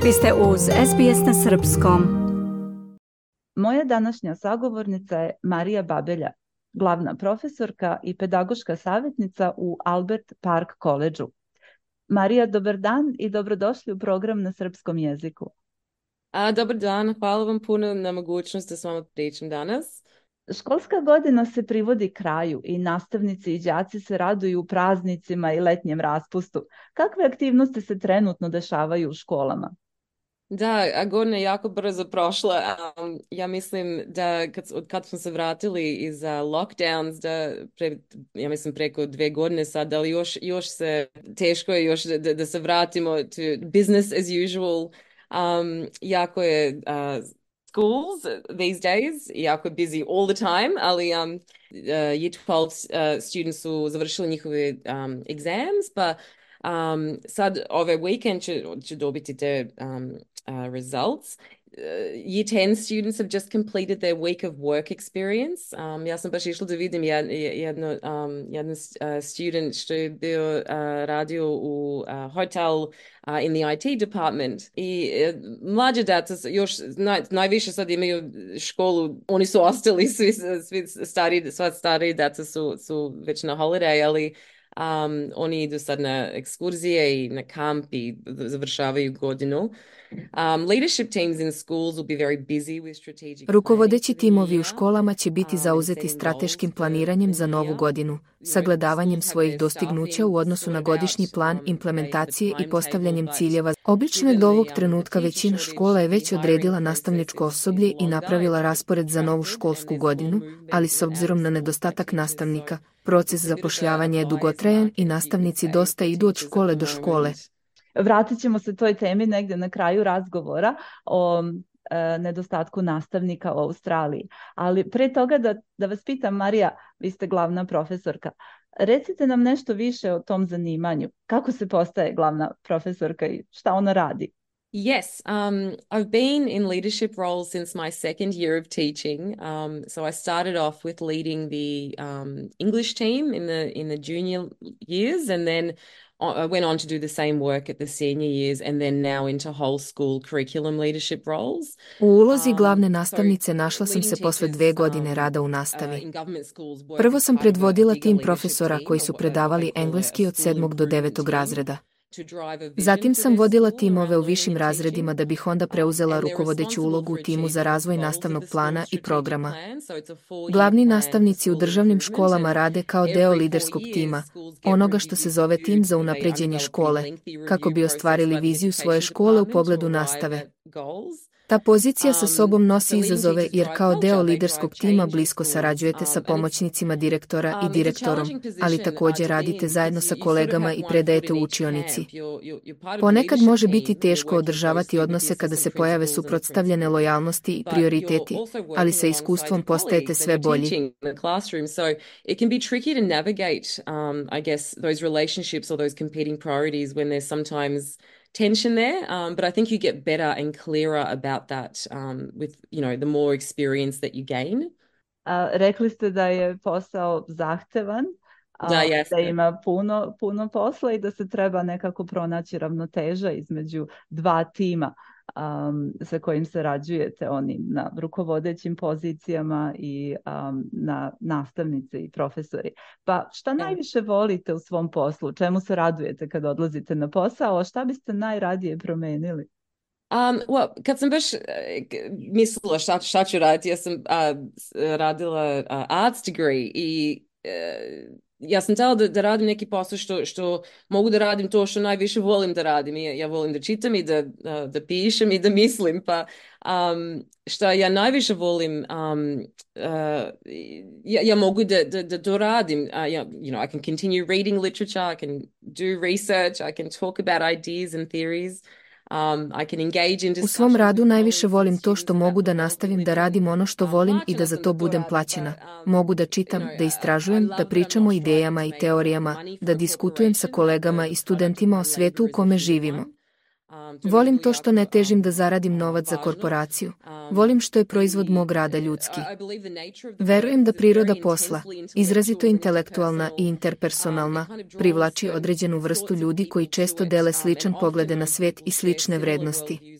Vi ste uz SBS na Srpskom. Moja današnja sagovornica je Marija Babelja, glavna profesorka i pedagoška savjetnica u Albert Park Collegeu. Marija, dobar dan i dobrodošli u program na srpskom jeziku. Dobar dan, hvala vam puno na mogućnost da s vama pričam danas. Školska godina se privodi kraju i nastavnici i đaci se raduju praznicima i letnjem raspustu. Kakve aktivnosti se trenutno dešavaju u školama? Da, godina je jako brzo prošla. Ja mislim da kad smo se vratili iz lockdowns, ja mislim preko 2 godine sad, ali još se teško je još da se vratimo to business as usual. Jako je schools these days, jako je busy all the time, ali year 12 students su završili njihove exams, pa sad ove weekend će dobiti te results. Year 10 students have just completed their week of work experience. Ja sam baš išla da vidim jedan student što je bio radio u hotel in the IT department. I mlađe djeca još najviše sad imaju školu, oni su ostali, svi stariji djeca su već na holiday, ali oni idu sad na ekskurzije i na kamp i završavaju godinu. Leadership teams in schools will be very busy with strategic. Rukovodeći timovi u školama će biti zauzeti strateškim planiranjem za novu godinu, sagledavanjem svojih dostignuća u odnosu na godišnji plan implementacije i postavljanjem ciljeva. Obično je do ovog trenutka većina škola je već odredila nastavničko osoblje i napravila raspored za novu školsku godinu, ali s obzirom na nedostatak nastavnika, proces zapošljavanja je dugotrajan i nastavnici dosta idu od škole do škole. Vratit ćemo se toj temi negdje na kraju razgovora o nedostatku nastavnika u Australiji. Ali pre toga da vas pitam, Marija, vi ste glavna profesorka. Recite nam nešto više o tom zanimanju. Kako se postaje glavna profesorka i šta ona radi? Yes, I've been in leadership roles since my second year of teaching. So I started off with leading the English team in the junior years, and then I went on to do the same work at the senior years, and then now into whole school curriculum leadership roles. U ulozi glavne nastavnice našla sam se posle 2 godine rada u nastavi. Prvo sam predvodila tim profesora koji su predavali engleski od 7. do 9. razreda. Zatim sam vodila timove u višim razredima da bih onda preuzela rukovodeću ulogu u timu za razvoj nastavnog plana i programa. Glavni nastavnici u državnim školama rade kao deo liderskog tima, onoga što se zove tim za unapređenje škole, kako bi ostvarili viziju svoje škole u pogledu nastave. Ta pozicija sa sobom nosi izazove jer kao deo liderskog tima blisko sarađujete sa pomoćnicima direktora i direktorom, ali također radite zajedno sa kolegama i predajete u učionici. Ponekad može biti teško održavati odnose kada se pojave suprotstavljene lojalnosti i prioriteti, ali sa iskustvom postajete sve bolji. Tension there, but I think you get better and clearer about that with, the more experience that you gain. Rekli ste da je posao zahtevan, da ima puno posla i da se treba nekako pronaći ravnoteža između 2 tima sa kojim sarađujete, oni na rukovodećim pozicijama i na nastavnice i profesori. Pa šta najviše volite u svom poslu? Čemu se radujete kad odlazite na posao? A šta biste najradije promenili? Kad sam baš mislila šta ću raditi, ja sam radila arts degree i ja sam htjela da radim neki posao što mogu da radim to što najviše volim da radim. Ja volim da čitam i da pišem i da mislim. Pa što ja najviše volim, ja mogu da to radim. I can continue reading literature, I can do research, I can talk about ideas and theories. U svom radu najviše volim to što mogu da nastavim da radim ono što volim i da za to budem plaćena. Mogu da čitam, da istražujem, da pričam o idejama i teorijama, da diskutujem sa kolegama i studentima o svijetu u kome živimo. Volim to što ne težim da zaradim novac za korporaciju. Volim što je proizvod mog rada ljudski. Verujem da priroda posla, izrazito intelektualna i interpersonalna, privlači određenu vrstu ljudi koji često dele sličan poglede na svijet i slične vrednosti.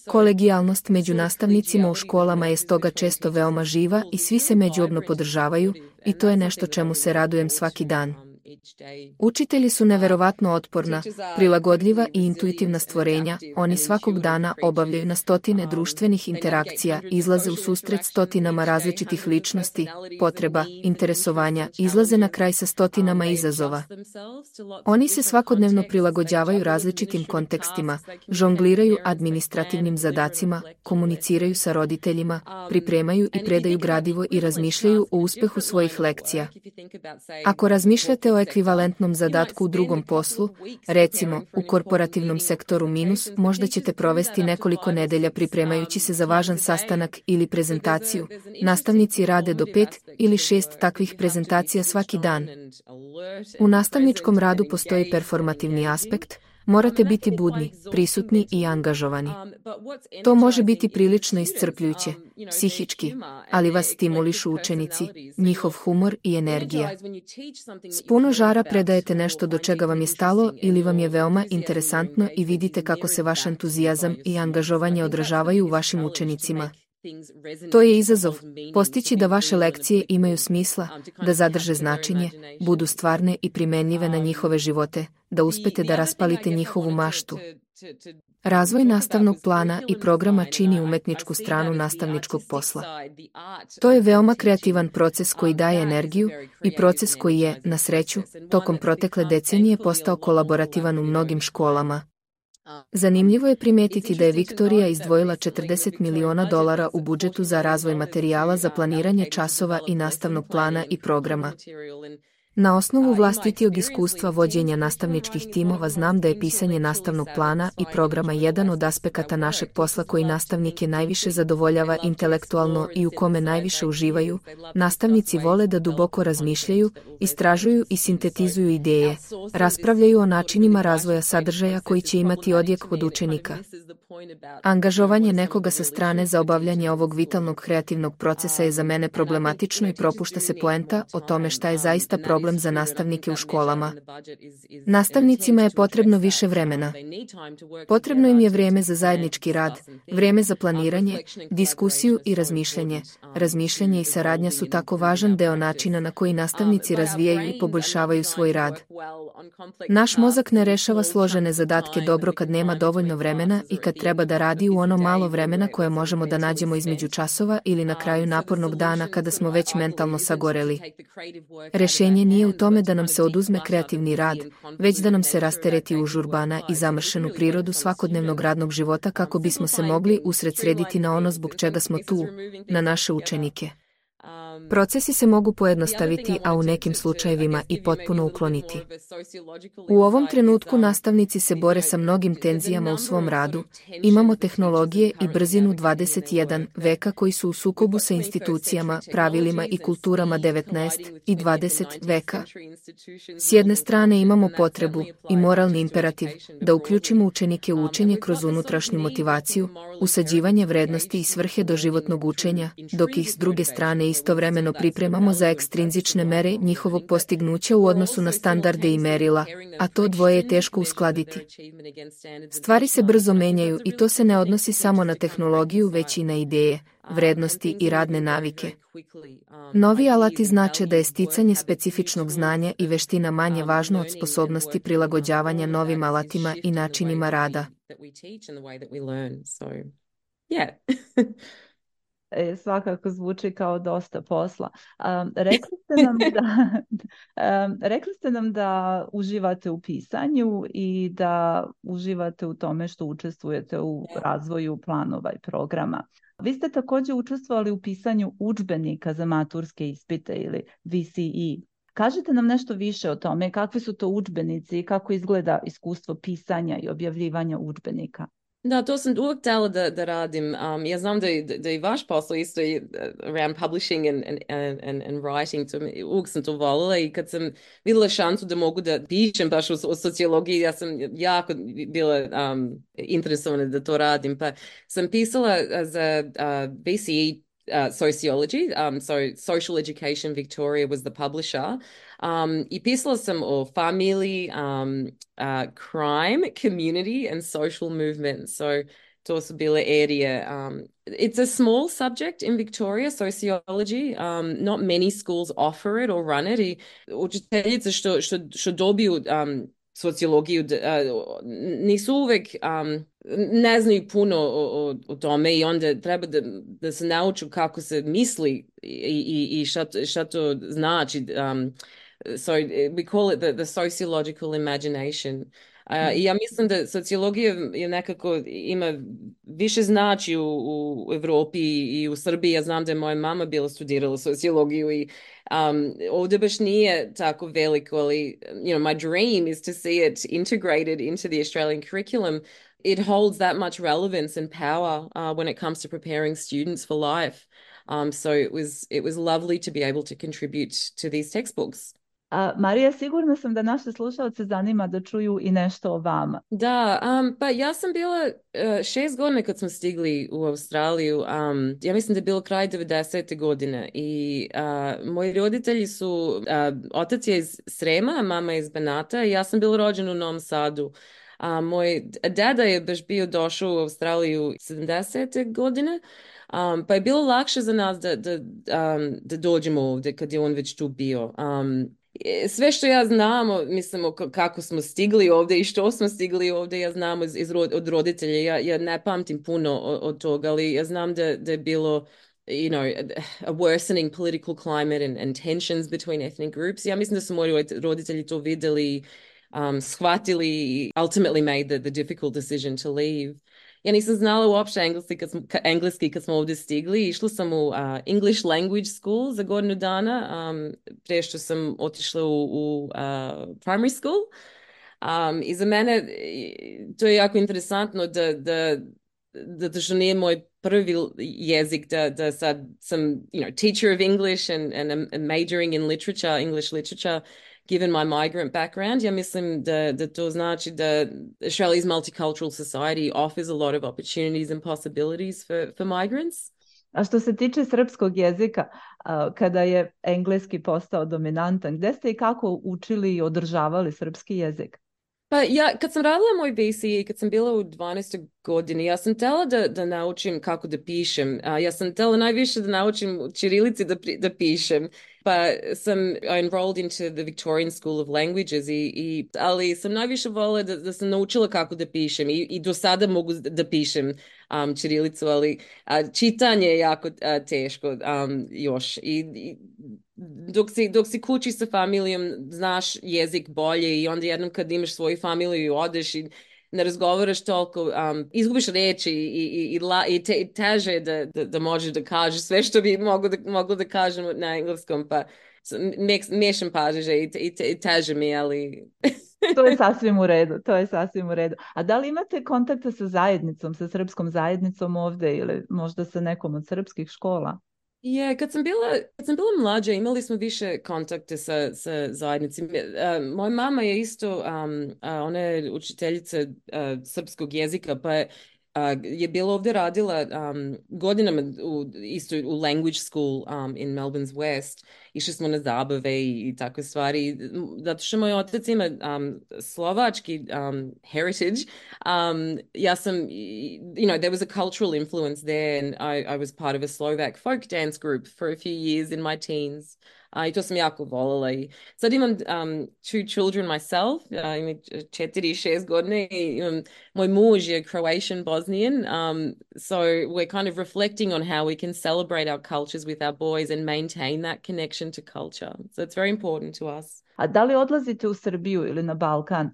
Kolegijalnost među nastavnicima u školama je stoga često veoma živa i svi se međusobno podržavaju i to je nešto čemu se radujem svaki dan. Učitelji su neverovatno otporna, prilagodljiva i intuitivna stvorenja. Oni svakog dana obavljaju na stotine društvenih interakcija, izlaze u susret stotinama različitih ličnosti, potreba, interesovanja, izlaze na kraj sa stotinama izazova. Oni se svakodnevno prilagođavaju različitim kontekstima, žongliraju administrativnim zadacima, komuniciraju sa roditeljima, pripremaju i predaju gradivo i razmišljaju o uspehu svojih lekcija. Ako razmišljate o ekvivalentnom zadatku u drugom poslu, recimo u korporativnom sektoru minus, možda ćete provesti nekoliko nedelja pripremajući se za važan sastanak ili prezentaciju. Nastavnici rade do 5 ili 6 takvih prezentacija svaki dan. U nastavničkom radu postoji performativni aspekt. Morate biti budni, prisutni i angažovani. To može biti prilično iscrpljujuće, psihički, ali vas stimulišu učenici, njihov humor i energija. S puno žara predajete nešto do čega vam je stalo ili vam je veoma interesantno i vidite kako se vaš entuzijazam i angažovanje odražavaju u vašim učenicima. To je izazov, postići da vaše lekcije imaju smisla, da zadrže značenje, budu stvarne i primenljive na njihove živote, da uspete da raspalite njihovu maštu. Razvoj nastavnog plana i programa čini umetničku stranu nastavničkog posla. To je veoma kreativan proces koji daje energiju i proces koji je, na sreću, tokom protekle decenije postao kolaborativan u mnogim školama. Zanimljivo je primetiti da je Viktorija izdvojila $40 miliona u budžetu za razvoj materijala za planiranje časova i nastavnog plana i programa. Na osnovu vlastitijeg iskustva vođenja nastavničkih timova znam da je pisanje nastavnog plana i programa jedan od aspekata našeg posla koji nastavnike najviše zadovoljava intelektualno i u kome najviše uživaju. Nastavnici vole da duboko razmišljaju, istražuju i sintetizuju ideje, raspravljaju o načinima razvoja sadržaja koji će imati odjek od učenika. Angažovanje nekoga sa strane za obavljanje ovog vitalnog kreativnog procesa je za mene problematično i propušta se poenta o tome šta je zaista problem za nastavnike u školama. Nastavnicima je potrebno više vremena. Potrebno im je vrijeme za zajednički rad, vrijeme za planiranje, diskusiju i razmišljanje. Razmišljanje i saradnja su tako važan deo načina na koji nastavnici razvijaju i poboljšavaju svoj rad. Naš mozak ne rešava složene zadatke dobro kad nema dovoljno vremena i kad treba da radi u ono malo vremena koje možemo da nađemo između časova ili na kraju napornog dana kada smo već mentalno sagoreli. Rešenje nije u tome da nam se oduzme kreativni rad, već da nam se rastereti užurbana i zamršenu prirodu svakodnevnog radnog života kako bismo se mogli usredsrediti na ono zbog čega smo tu, na naše učenike. Procesi se mogu pojednostaviti, a u nekim slučajevima i potpuno ukloniti. U ovom trenutku nastavnici se bore sa mnogim tenzijama u svom radu. Imamo tehnologije i brzinu 21. veka koji su u sukobu sa institucijama, pravilima i kulturama 19. i 20. veka. S jedne strane imamo potrebu i moralni imperativ da uključimo učenike u učenje kroz unutrašnju motivaciju, usađivanje vrednosti i svrhe doživotnog učenja, dok ih s druge strane istovremeno pripremamo za ekstrinzične mere njihovog postignuća u odnosu na standarde i merila, a to dvoje je teško uskladiti. Stvari se brzo menjaju i to se ne odnosi samo na tehnologiju, već i na ideje, vrednosti i radne navike. Novi alati znače da je sticanje specifičnog znanja i veština manje važno od sposobnosti prilagođavanja novim alatima i načinima rada. Svakako zvuči kao dosta posla. Rekli ste nam da uživate u pisanju i da uživate u tome što učestvujete u razvoju planova i programa. Vi ste također učestvovali u pisanju udžbenika za maturske ispite ili VCE. Kažite nam nešto više o tome, kakvi su to udžbenici i kako izgleda iskustvo pisanja i objavljivanja udžbenika. Da, to sam uvijek htjela da radim. Ja znam da i vaš posao isto je around publishing and writing. Uvijek sam to volila i kad sam vidjela šansu da mogu da pišem baš o sociologiji, ja sam jako bila interesovana da to radim. Pa sam pisala za BCE sociology, so Social Education Victoria was the publisher. I pisala sam o familiji, crime, community and social movement. So to su bile erije. It's a small subject in Victoria, sociology. Not many schools offer it or run it. I učiteljice što dobiju sociologiju nisu uvek ne znaju puno o tome i onda treba da se nauču kako se misli i šta to znači. So we call it the sociological imagination. I ja mislim da sociologija je nekako ima više znači u Europi i u Srbiji. Ja znam da je moja mama bila studirala sociologiju i ovdje baš nije tako veliko, ali my dream is to see it integrated into the Australian curriculum. It holds that much relevance and power when it comes to preparing students for life. So it was lovely to be able to contribute to these textbooks. Marija, sigurna sam da naše slušalce zanima da čuju i nešto o vama. Da, pa ja sam bila 6 godina kad smo stigli u Australiju. Ja mislim da je bilo kraj 90. godine i moji roditelji su, otac je iz Srema, a mama je iz Banata i ja sam bila rođena u Novom Sadu. Moj deda je baš bio došao u Australiju 70. godine, pa je bilo lakše za nas da dođemo ovdje kad je on već tu bio. Sve što ja znam, mislimo kako smo stigli ovdje i što smo stigli ovdje, ja znam od roditelja. Ja ne pamtim puno od toga, ali ja znam da je bilo a worsening political climate and tensions between ethnic groups. Ja mislim da su moji roditelji to vidjeli, shvatili, ultimately made the difficult decision to leave. Ja nisam znala uopšte engleski kad smo ovdje stigli. Išla sam u English language school za godinu dana, prije što sam otišla u primary school. I za mene to je jako interesantno da što nije moj prvi jezik, da sad sam teacher of English and majoring in literature, English literature, given my migrant background. Ja mislim da to znači da Australia's multicultural society offers a lot of opportunities and possibilities for migrants. A što se tiče srpskog jezika, kada je engleski postao dominantan, gde ste i kako učili i održavali srpski jezik? Pa ja, kad sam radila moj BCE, kad sam bila u 12. godini, ja sam htjela da naučim kako da pišem. Ja sam htjela najviše da naučim u ćirilici da pišem. Pa sam enrolled into the Victorian School of Languages, ali sam najviše volila da sam naučila kako da pišem i do sada mogu da pišem ćirilicu, ali čitanje je jako teško još. Dok si kući sa familijom, znaš jezik bolje i onda jednom kad imaš svoju familiju i odeš i ne razgovaraš toliko, izgubiš reči i teže da možeš da kažeš sve što bi moglo da kažem na engleskom, pa miješam pažnje i teže mi, ali... To je sasvim u redu, to je sasvim u redu. A da li imate kontakta sa zajednicom, sa srpskom zajednicom ovdje ili možda sa nekom od srpskih škola? Kad sam bila mlađa, imali smo više kontakte sa zajednicom. Moja mama je isto, ona je učiteljica srpskog jezika, pa je bila ovdje radila godinama isto u language school in Melbourne's West. Išli smo na zabave i takve stvari. Zato što moj otac ima slovački heritage. Ja sam, there was a cultural influence there and I was part of a Slovak folk dance group for a few years in my teens. I to sam jako voljela. I sad imam 2 children myself, imam 4 i 6 godine i moj muž je Croatian Bosnian, so we're kind of reflecting on how we can celebrate our cultures with our boys and maintain that connection to culture. So it's very important to us. A da li odlazite u Srbiju ili na Balkan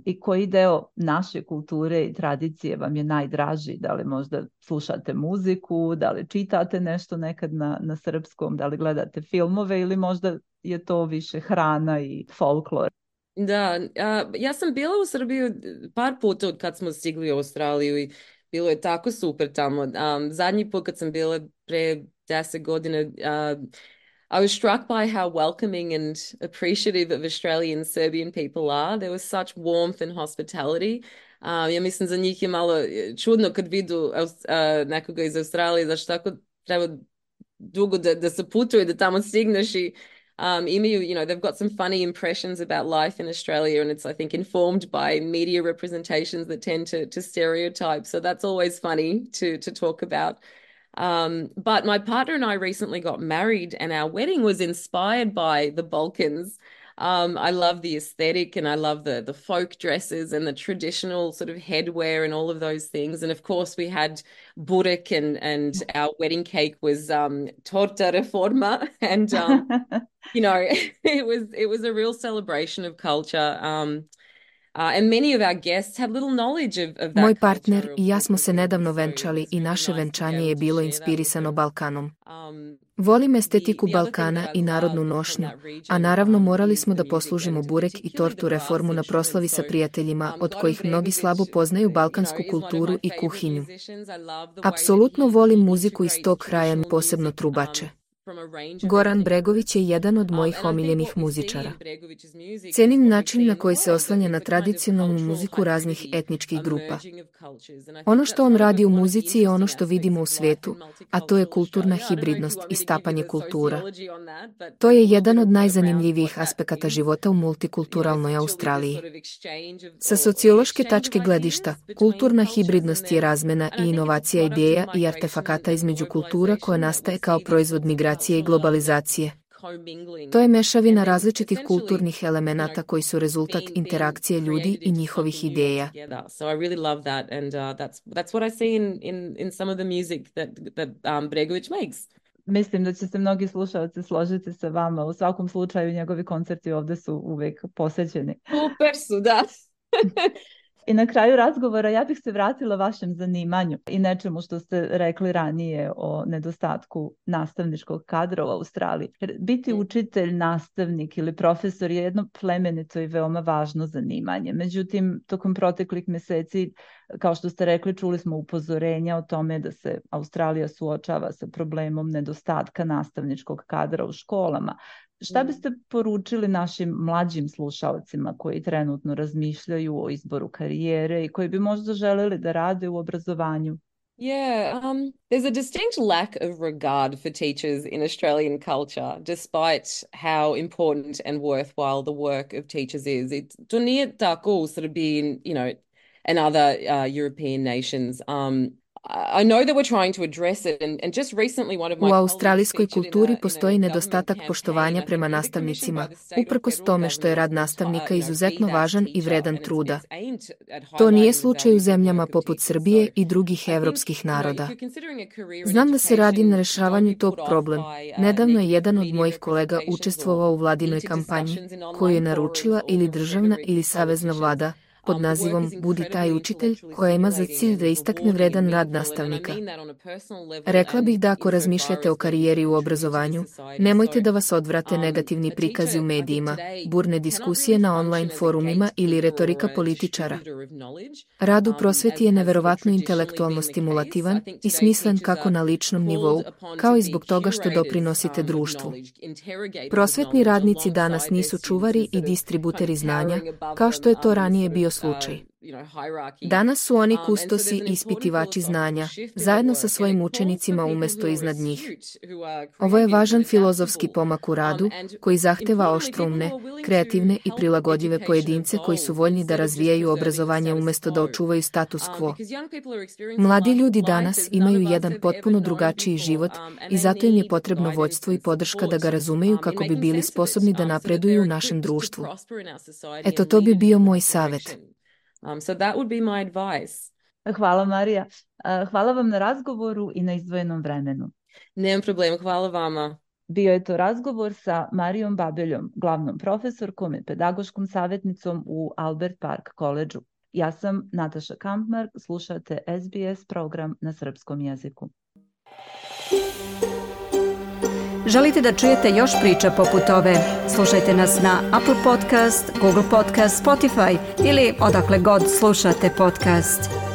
i koji deo naše kulture i tradicije vam je najdraži? Da li možda slušate muziku, da li čitate nešto nekad na srpskom, da li gledate filmove ili možda je to više hrana i folklor? Da, ja sam bila u Srbiji par puta od kad smo stigli u Australiju i bilo je tako super tamo. Zadnji put kad sam bila pre 10 godina, I was struck by how welcoming and appreciative of Australian Serbian people are. There was such warmth and hospitality. Ja mislim za njih je malo čudno kad vidu nekoga iz Australije, zašto tako treba dugo da se putuje, da tamo stigneš i imaju, they've got some funny impressions about life in Australia, and it's, I think, informed by media representations that tend to stereotype. So that's always funny to talk about. But my partner and I recently got married, and our wedding was inspired by the Balkans. I love the aesthetic, and I love the folk dresses and the traditional sort of headwear and all of those things. And of course, we had burek, and our wedding cake was torta reforma, and it was a real celebration of culture. And many of our guests had little knowledge of that. Moj partner i ja smo se nedavno venčali i naše venčanje je bilo inspirisano Balkanom. Volim estetiku Balkana i narodnu nošnju, a naravno morali smo da poslužimo burek i tortu reformu na proslavi sa prijateljima, od kojih mnogi slabo poznaju balkansku kulturu i kuhinju. Apsolutno volim muziku iz tog kraja, posebno trubače. Goran Bregović je jedan od mojih omiljenih muzičara. Cenim način na koji se oslanja na tradicionalnu muziku raznih etničkih grupa. Ono što on radi u muzici je ono što vidimo u svetu, a to je kulturna hibridnost i stapanje kultura. To je jedan od najzanimljivijih aspekata života u multikulturalnoj Australiji. Sa sociološke tačke gledišta, kulturna hibridnost je razmena i inovacija ideja i artefakata između kultura koja nastaje kao proizvod migracije i globalizacije. To je mešavina različitih kulturnih elemenata koji su rezultat interakcije ljudi i njihovih ideja. Mislim da će se mnogi slušalci složiti sa vama. U svakom slučaju njegovi koncerti ovdje su uvijek posjećeni. Super su, da. I na kraju razgovora ja bih se vratila vašem zanimanju i nečemu što ste rekli ranije o nedostatku nastavničkog kadra u Australiji. Jer biti učitelj, nastavnik ili profesor je jedno plemenito i veoma važno zanimanje. Međutim, tokom proteklih mjeseci, kao što ste rekli, čuli smo upozorenja o tome da se Australija suočava sa problemom nedostatka nastavničkog kadra u školama. Šta biste poručili našim mlađim slušalcima koji trenutno razmišljaju o izboru karijere i koji bi možda želeli da rade u obrazovanju? Yeah, there's a distinct lack of regard for teachers in Australian culture, despite how important and worthwhile the work of teachers is. To nije tako u Srbiji, and other European nations. I know that we're trying to address it, and just recently one of my U australijskoj kulturi postoji nedostatak poštovanja prema nastavnicima, uprkos tome što je rad nastavnika izuzetno važan i vredan truda. To nije slučaj u zemljama poput Srbije i drugih evropskih naroda. Znam da se radi na rešavanju tog problema. Nedavno je jedan od mojih kolega učestvovao u vladinoj kampanji, koju je naručila ili državna ili savezna vlada, pod nazivom Budi taj učitelj, koja ima za cilj da istakne vredan rad nastavnika. Rekla bih da ako razmišljate o karijeri u obrazovanju, nemojte da vas odvrate negativni prikazi u medijima, burne diskusije na online forumima ili retorika političara. Rad u prosveti je neverovatno intelektualno stimulativan i smislen kako na ličnom nivou, kao i zbog toga što doprinosite društvu. Prosvetni radnici danas nisu čuvari i distributeri znanja, kao što je to ranije bio slučaj. Danas su oni kustosi i ispitivači znanja, zajedno sa svojim učenicima umjesto iznad njih. Ovo je važan filozofski pomak u radu, koji zahteva oštroumne, kreativne i prilagodljive pojedince koji su voljni da razvijaju obrazovanje umjesto da očuvaju status quo. Mladi ljudi danas imaju jedan potpuno drugačiji život i zato im je potrebno vođstvo i podrška da ga razumeju kako bi bili sposobni da napreduju u našem društvu. Eto, to bi bio moj savjet. So that would be my advice. Hvala, Marija. Hvala vam na razgovoru i na izdvojenom vremenu. Nemam problema, hvala vama. Bio je to razgovor sa Marijom Babeljom, glavnom profesorkom i pedagoškom savjetnicom u Albert Park Collegeu. Ja sam Nataša Kampmark, slušate SBS program na srpskom jeziku. Želite da čujete još priča poput ove? Slušajte nas na Apple Podcast, Google Podcast, Spotify ili odakle god slušate podcast.